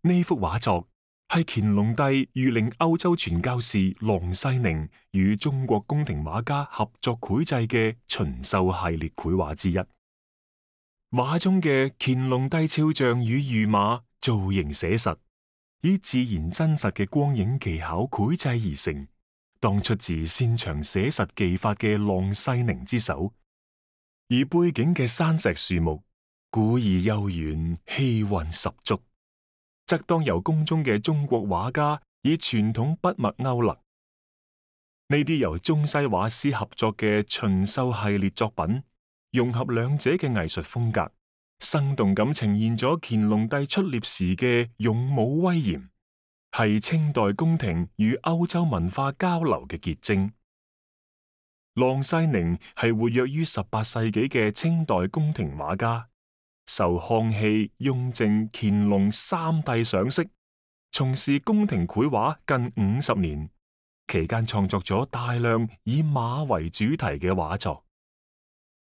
呢幅畫作係乾隆帝諭令歐洲傳教士郎世寧與中國宮廷畫家合作繪製嘅巡狩系列繪畫之一。畫中嘅乾隆帝肖像與御馬造型寫實，以自然真實嘅光影技巧繪製而成，當出自擅長寫實技法嘅郎世寧之手。而背景嘅山石樹木古意悠遠，氣韻十足，則當由宮中嘅中國畫家以傳統筆墨勾勒。呢啲由中西畫師合作嘅巡狩系列作品，融合兩者嘅藝術風格，生動咁呈現咗乾隆帝出獵時嘅勇武威嚴，係清代宮廷與歐洲文化交流嘅結晶。郎世寧係活躍於18世紀嘅清代宮廷畫家，受康熙、雍正、乾隆三帝賞識，從事宮廷繪畫近50年，期間創作咗大量以馬為主題嘅畫作。